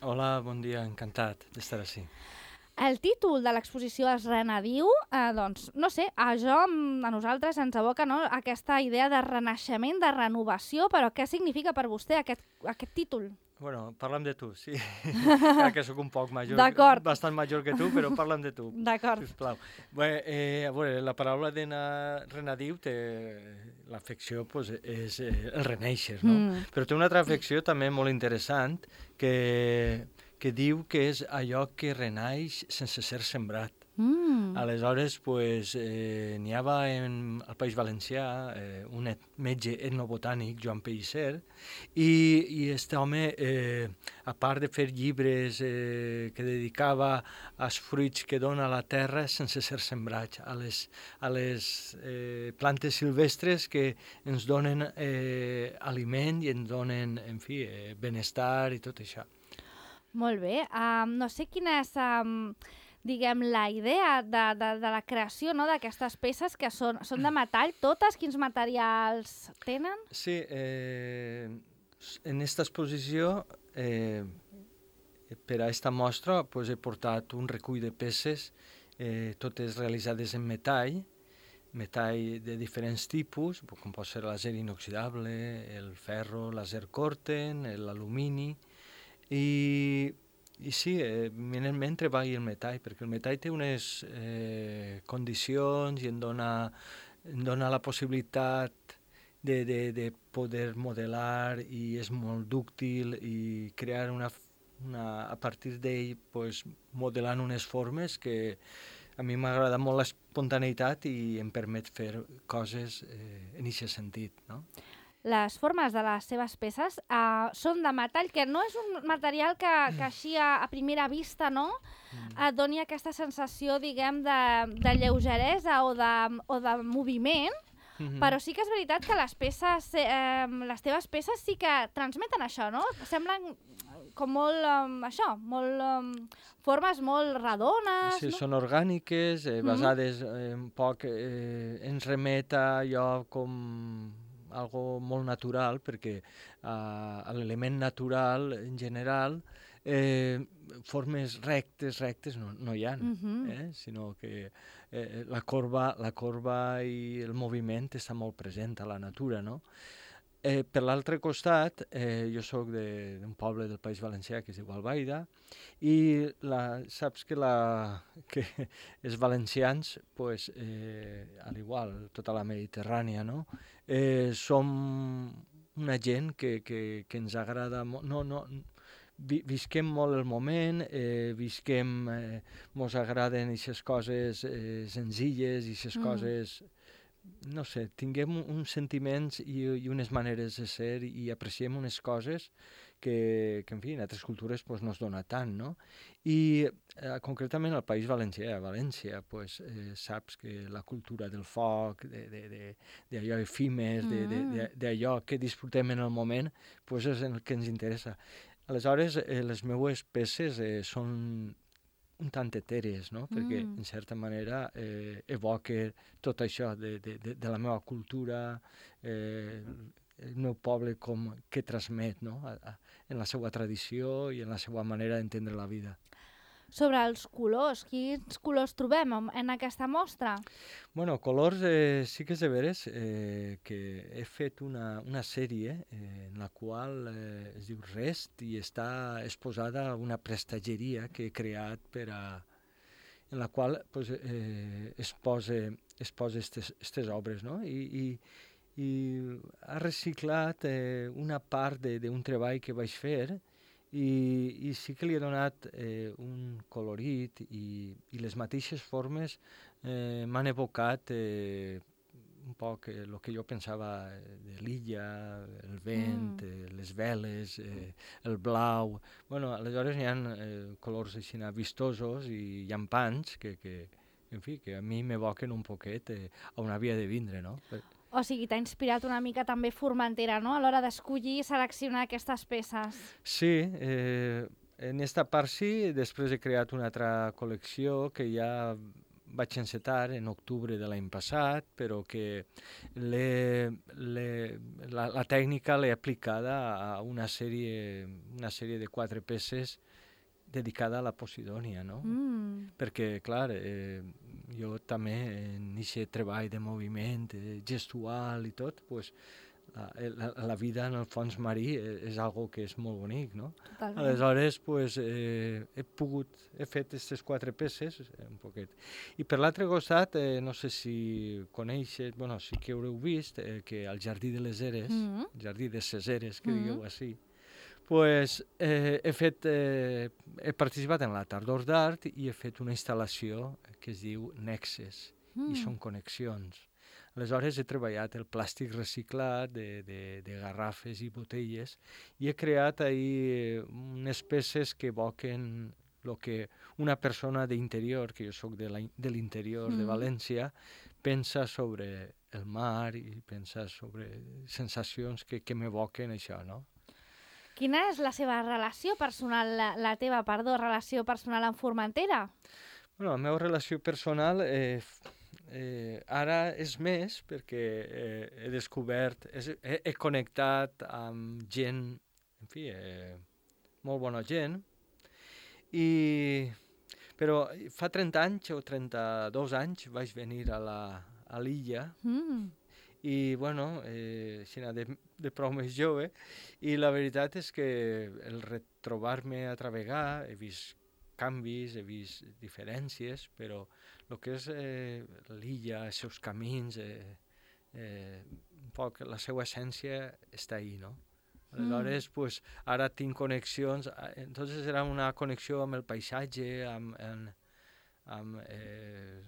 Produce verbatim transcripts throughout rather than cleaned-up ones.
Hola, bon dia, encantat d'estar així. El títol de l'exposició es Renadiu, eh, doncs, no sé, a jo, a nosaltres ens evoca, no, aquesta idea de renaixement, de renovació, però què significa per vostè aquest, aquest títol? Bueno, parla'm de tu, sí. Clar que sóc un poc major, D'acord. bastant major que tu, però parla'm de tu, D'acord. sisplau. Bé, eh, a veure, la paraula de na- renadiu té l'afecció, pues, és eh, el reneixer, no? Mm. Però té una altra afecció també molt interessant que, que diu que és allò que renaix sense ser sembrat. Mm. Aleshores, pues, eh, n'hi havia en, al País Valencià eh, un et, metge etnobotànic, Joan Pellicer, i, i aquest home, eh, a part de fer llibres eh, que dedicava als fruits que dona la terra sense ser sembrats, a les, a les eh, plantes silvestres que ens donen eh, aliment i ens donen, en fi, eh, benestar i tot això. Molt bé. Um, no sé quina és, um, diguem, la idea de, de, de la creació, no?, d'aquestes peces que són, són de metall, totes? Quins materials tenen? Sí, eh, en aquesta exposició, eh, per a aquesta mostra, pues, he portat un recull de peces, eh, totes realitzades en metall, metall de diferents tipus, com pot ser l'acer inoxidable, el ferro, l'acer corten, l'alumini, i, i sí, eh, eminentment treballo el metall, perquè el metall té unes eh, condicions i em dona, em dona la possibilitat de, de, de poder modelar, i és molt dúctil, i crear una, una a partir d'ell, pues, modelant unes formes que a mi m'agrada molt l'espontaneïtat i em permet fer coses eh, en aquest sentit, no? Les formes de les seves peces uh, són de metall, que no és un material que, que així a, a primera vista, no?, mm. et doni aquesta sensació, diguem, de, de lleugeresa o de, o de moviment, mm-hmm. però sí que és veritat que les peces, eh, les teves peces sí que transmeten això, no? Semblen com molt, um, això, molt, um, formes molt redones, sí, no? Són orgàniques, eh, basades eh, un poc, eh, ens remet a allò com algo molt natural, perquè uh, l'element natural en general, eh, formes rectes, rectes no, no hi ha, Mm-hmm. eh? Sinó que eh, la, corba, la corba i el moviment està molt present a la natura, no? Eh, per l'altre costat, eh, jo sóc d'un poble del País Valencià que es diu Albaida, i la, saps que, la, que els valencians, pues, eh, al igual, tota la Mediterrània, no? eh, som una gent que, que, que ens agrada molt, no, no, vi, visquem molt el moment, eh, visquem, eh, mos agraden aquestes coses eh, senzilles, aquestes mm. coses, no sé, tinguem uns sentiments i, i unes maneres de ser, i apreciem unes coses que, que en fi, en altres cultures pues, no es dona tant, no? I eh, concretament al País Valencià, a València, pues, eh, saps que la cultura del foc, d'allò efímer, mm. d'allò que disfrutem en el moment, pues, és el que ens interessa. Aleshores, eh, les meues peces eh, són un tant etèries, no? Perquè, Mm. en certa manera, eh, evoca tot això de, de, de, de la meva cultura, eh, el meu poble com que transmet, no? A, a, en la seva tradició i en la seva manera d'entendre la vida. Sobre els colors, quins colors trobem en aquesta mostra? Bueno, colors eh, sí que és de veres eh, que he fet una, una sèrie eh, en la qual eh, es diu Rest, i està exposada una prestatgeria que he creat per a, en la qual pues, eh, es posa es posa aquestes obres, no? I, i, i ha reciclat eh, una part d'un treball que vaig fer, i, i sí que li he donat eh, un colorit, i, i les mateixes formes eh, m'han evocat eh, un poc el eh, que jo pensava de l'illa, el vent, mm. eh, les veles, eh, el blau. Bueno, aleshores hi ha eh, colors així vistosos i llampants que, que, en fi, que a mi m'evoquen un poquet eh, on havia de vindre, no? O sigui, t'ha inspirat una mica també Formentera, no?, a l'hora d'escollir i seleccionar aquestes peces. Sí, eh, en esta part sí, després he creat una altra col·lecció que ja vaig encetar en octubre de l'any passat, però que l'he, l'he, la, la tècnica l'he aplicada a una sèrie, una sèrie de quatre peces dedicada a la Posidònia, no? Mm. Perquè, clar, eh, jo també en aquest treball de moviment eh, gestual i tot, pues, la, la, la vida en el fons marí és algo que és molt bonic, no? Totalment. Aleshores, pues, eh, he pogut, he fet aquestes quatre peces, un poquet. I per l'altre costat, eh, no sé si coneixes, bueno, sí que haureu vist, eh, que al Jardí de les Eres, Mm-hmm. Jardí de ses Eres, que Mm-hmm. digueu així, pues, eh, he, fet, eh, he participat en la Tardor d'Art i he fet una instal·lació que es diu Nexes, Mm. i són connexions. Aleshores he treballat el plàstic reciclat de, de, de garrafes i botelles i he creat ahí unes peces que evoquen el que una persona d'interior, que jo sóc de, la, de l'interior Mm. de València, pensa sobre el mar i pensa sobre sensacions que, que m'evoquen això, no? Quina és la seva relació personal, la, la teva, perdó, relació personal amb Formentera? Bueno, la meva relació personal eh, eh, ara és més perquè eh, he descobert, és, he, he connectat amb gent, en fi, eh, molt bona gent, i, però fa trenta anys o trenta-dos anys vaig venir a la, a l'illa Mm. i, bueno, eh, així de, de prou més jove, i la veritat és que el retrobar-me a travegar, he vist canvis, he vist diferències, però el que és eh, l'illa, els seus camins, eh, eh, un poc la seva essència està ahí, no? Aleshores, mm. pues, ara tinc connexions, entonces era una connexió amb el paisatge, amb, amb, amb eh,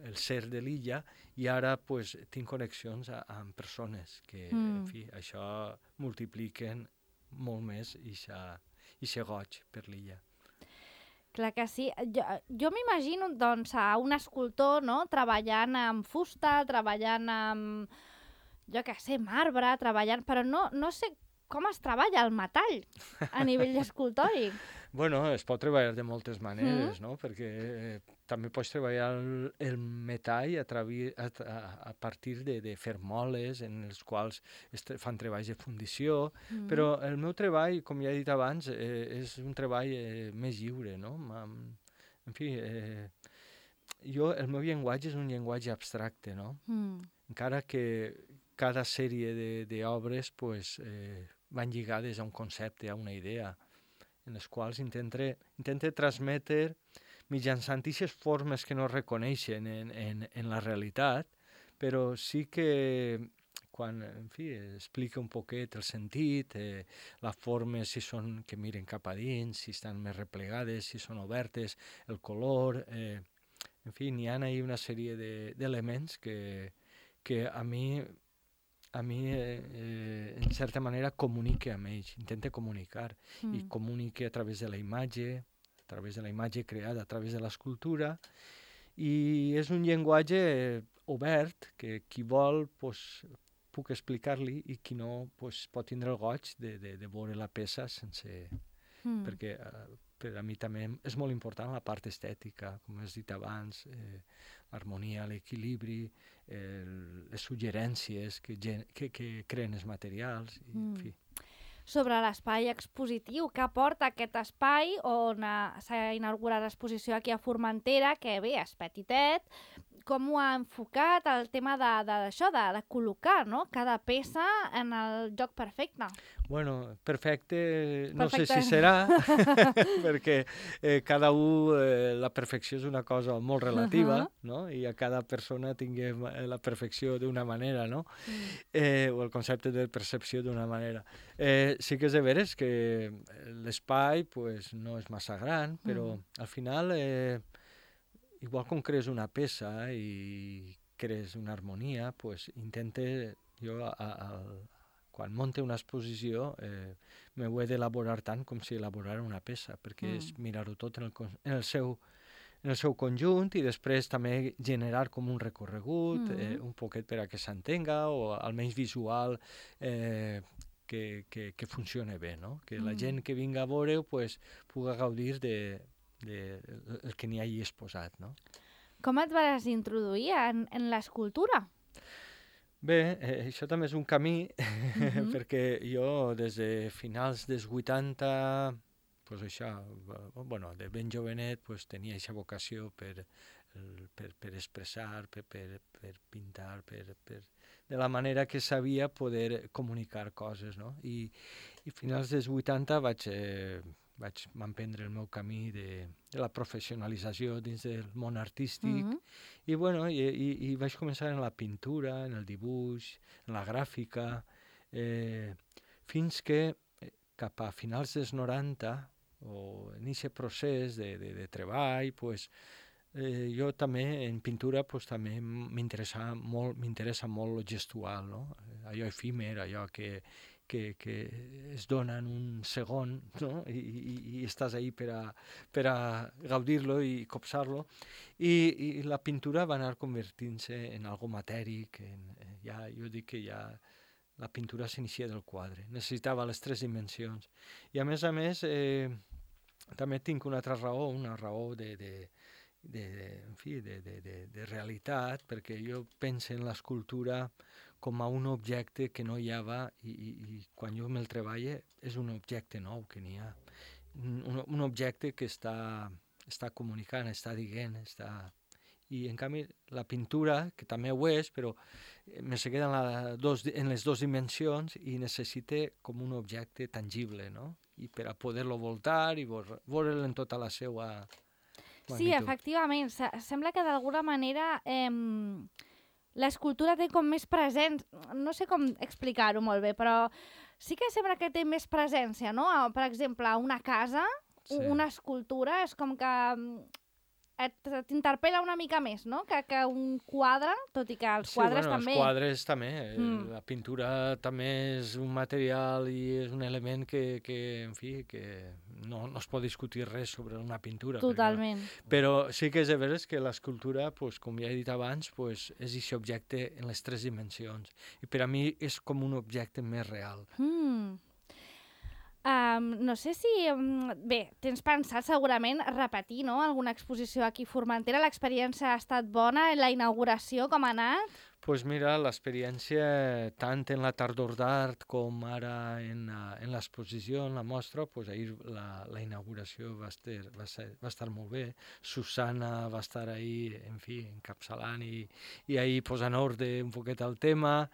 el ser de l'illa, i ara pues, tinc connexions a, amb persones que, mm. en fi, això multipliquen molt més i se goig per l'illa. Clar que sí. Jo, jo m'imagino doncs, a un escultor, no?, treballant amb fusta, treballant amb, jo què sé, marbre, treballant... Però no, no sé com es treballa el metall a nivell escultòric. Bueno, es pot treballar de moltes maneres, mm. no? Perquè eh, també pots treballar el, el metall a, travi, a, a, a partir de, de fer moles en els quals es fan treballs de fundició, mm. però el meu treball, com ja he dit abans, eh, és un treball eh, més lliure, no? En fi, eh, jo, el meu llenguatge és un llenguatge abstracte, no? Mm. Encara que cada sèrie d'obres pues, eh, van lligades a un concepte, a una idea, en les quals intente, intente transmetre mitjançant aquestes formes que no reconeixen en, en, en la realitat, però sí que quan, en fi, explica un poquet el sentit, eh, les formes si són que miren cap a dins, si estan més replegades, si són obertes, el color, eh, en fi, n'hi ha ahí una sèrie d'elements de, que, que a mi a mi, eh, eh, en certa manera, comunique amb ells, intenta comunicar, mm. i comunique a través de la imatge, a través de la imatge creada, a través de l'escultura, i és un llenguatge obert que qui vol pues, puc explicar-li i qui no pues, pot tindre el goig de, de, de veure la peça sense... Mm. Perquè eh, per a mi també és molt important la part estètica, com has dit abans, eh, l'harmonia, l'equilibri, eh, les suggerències que, que, que creen els materials, i, mm. en fi. Sobre l'espai expositiu, què aporta aquest espai on s'ha inaugurat l'exposició aquí a Formentera, que bé, és petitet, com ho ha enfocat el tema d'això, de, de, de col·locar, no?, cada peça en el lloc perfecte? Bueno, perfecte, no perfecte. sé si serà, perquè eh, cada un, eh, la perfecció és una cosa molt relativa, uh -huh. no?, i a cada persona tinguem la perfecció d'una manera, no?, mm. eh, o el concepte de percepció d'una manera. Eh, sí que és de veres que l'espai pues, no és massa gran, però mm. al final... Eh, igual com crees una peça i crees una harmonia, pues intente, jo a, a, quan monte una exposició eh, m'ho he d'elaborar tant com si elaborara una peça, perquè mm. és mirar-ho tot en el, en, el seu, en el seu conjunt i després també generar com un recorregut, mm. eh, un poquet per a que s'entenga o almenys visual, eh, que, que, que funcione bé, no? Que mm. la gent que vinga a veure pues, pugui gaudir de... De, el que n'hi hagi exposat, no? Com et vas introduir en, en l'escultura? Bé, eh, això també és un camí, Mhm. perquè jo des de finals dels vuitanta, pues això, eh, bueno, de ben jovenet, pues, tenia aquesta vocació per, el- per, per expressar, per, per, per pintar, per, per, de la manera que sabia poder comunicar coses, no? I, i finals dels vuitanta vaig, eh, vaig emprendre el meu camí de, de la professionalització dins del món artístic. Mhm. I, bueno, i, i, i vaig començar en la pintura, en el dibuix, en la gràfica, eh, fins que eh, cap a finals dels noranta, o en aquest procés de, de, de treball, pues, eh, jo també en pintura pues, també m'interessa molt, m'interessa molt lo gestual, no? Allò efímer, allò que, que, que es dona en un segon, no? I, i, i estàs ahí per a, per a gaudir-lo i copsar-lo. I, I la pintura va anar convertint-se en algo matèric, en, eh, ja, jo dic que ja la pintura s'inicia del quadre, necessitava les tres dimensions. I a més a més, eh, també tinc una altra raó, una raó de, de, de, de, en fi, de, de, de, de realitat, perquè jo penso en l'escultura com a un objecte que no hi havia i, i, i quan jo me'l treballo és un objecte nou que n'hi ha. Un, un objecte que està, està comunicant, està dient, està... I en canvi la pintura, que també ho és, però me se queda en, la dos, en les dues dimensions i necessita com un objecte tangible, no? I per a poder-lo voltar i veure'l en tota la seva magnitud. Sí, efectivament. Se- Sembla que d'alguna manera eh, l'escultura té com més presència. No sé com explicar-ho molt bé, però sí que sembla que té més presència, no? A- Per exemple, una casa, Sí. u- una escultura, és com que mm, et- t'interpel·la una mica més, no? Que, que un quadre, tot i que els Sí, quadres bueno, també... els quadres també. eh, Mm. La pintura també és un material i és un element que, que en fi, que no, no es pot discutir res sobre una pintura. perquè- Totalment. Però sí que és de veres que l'escultura, pues, com ja he dit abans, pues, és aquest objecte en les tres dimensions. I per a mi és com un objecte més real. Mm. Um, no sé si... Um, bé, tens pensat segurament repetir, no?, alguna exposició aquí a Formentera. L'experiència ha estat bona, la inauguració com ha anat? Pues mira, l'experiència tant en la tardor d'art com ara en, uh, en l'exposició, en la mostra, pues ahir la, la inauguració va estar, va, ser, va estar molt bé. Susana va estar ahí, en fi, encapçalant i, i ahí posant ordre un poquet al tema.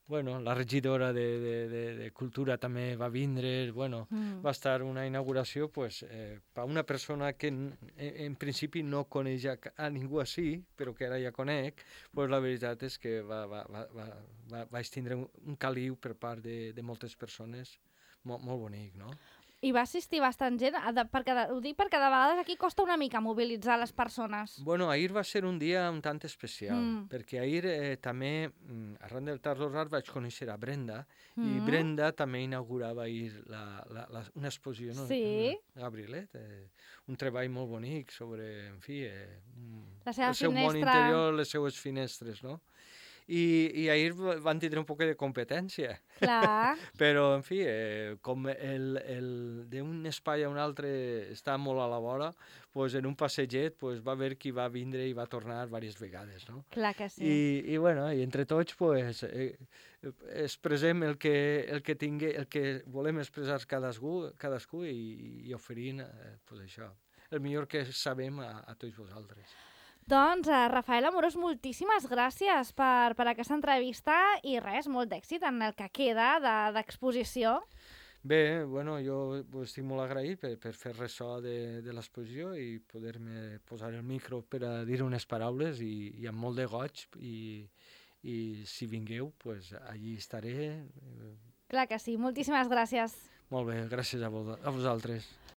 Bueno, la regidora de, de, de, de Cultura també va vindre, bueno, Mm. va estar una inauguració, pues, eh, per una persona que en, en principi no coneix a, a ningú així, però que ara ja conec, pues la veritat és que va, va, va, va, va, vaig tindre un, un caliu per part de, de moltes persones, molt, molt bonic, no? I va assistir bastant gent, a de, perquè de, ho dic perquè de vegades aquí costa una mica mobilitzar les persones. Bueno, ahir va ser un dia un tant especial, Mm. perquè ahir eh, també, mm, arran del Tardor d'Art, vaig conèixer a Brenda, i Mm. Brenda també inaugurava ahir la, la, la, una exposició, no? Sí. Gabrielet, eh, un treball molt bonic sobre, en fi, eh, un- La seva el seu món finestra. interior, les seues finestres, no? I, i ahir va- van tindre un poc de competència, Clar. però, en fi, eh, com el, el, d'un espai a un altre està molt a la vora, pues, en un passeget pues, va haver qui va vindre i va tornar diverses vegades, no? Clar que sí. I, i, bueno, i entre tots pues, eh, expressem el que, el que tingue, el que volem expressar cadascú, cadascú i, i oferint eh, pues, això, el millor que sabem a, a tots vosaltres. Doncs, uh, Rafael Amorós, moltíssimes gràcies per, per aquesta entrevista i res, molt d'èxit en el que queda de- d'exposició. Bé, bueno, jo pues, estic molt agraït per, per fer ressò de, de l'exposició i poder-me posar el micro per a dir unes paraules i, i amb molt de goig i, i si vingueu, pues, allí estaré. Clar que sí, moltíssimes gràcies. Molt bé, gràcies a, vo a vosaltres.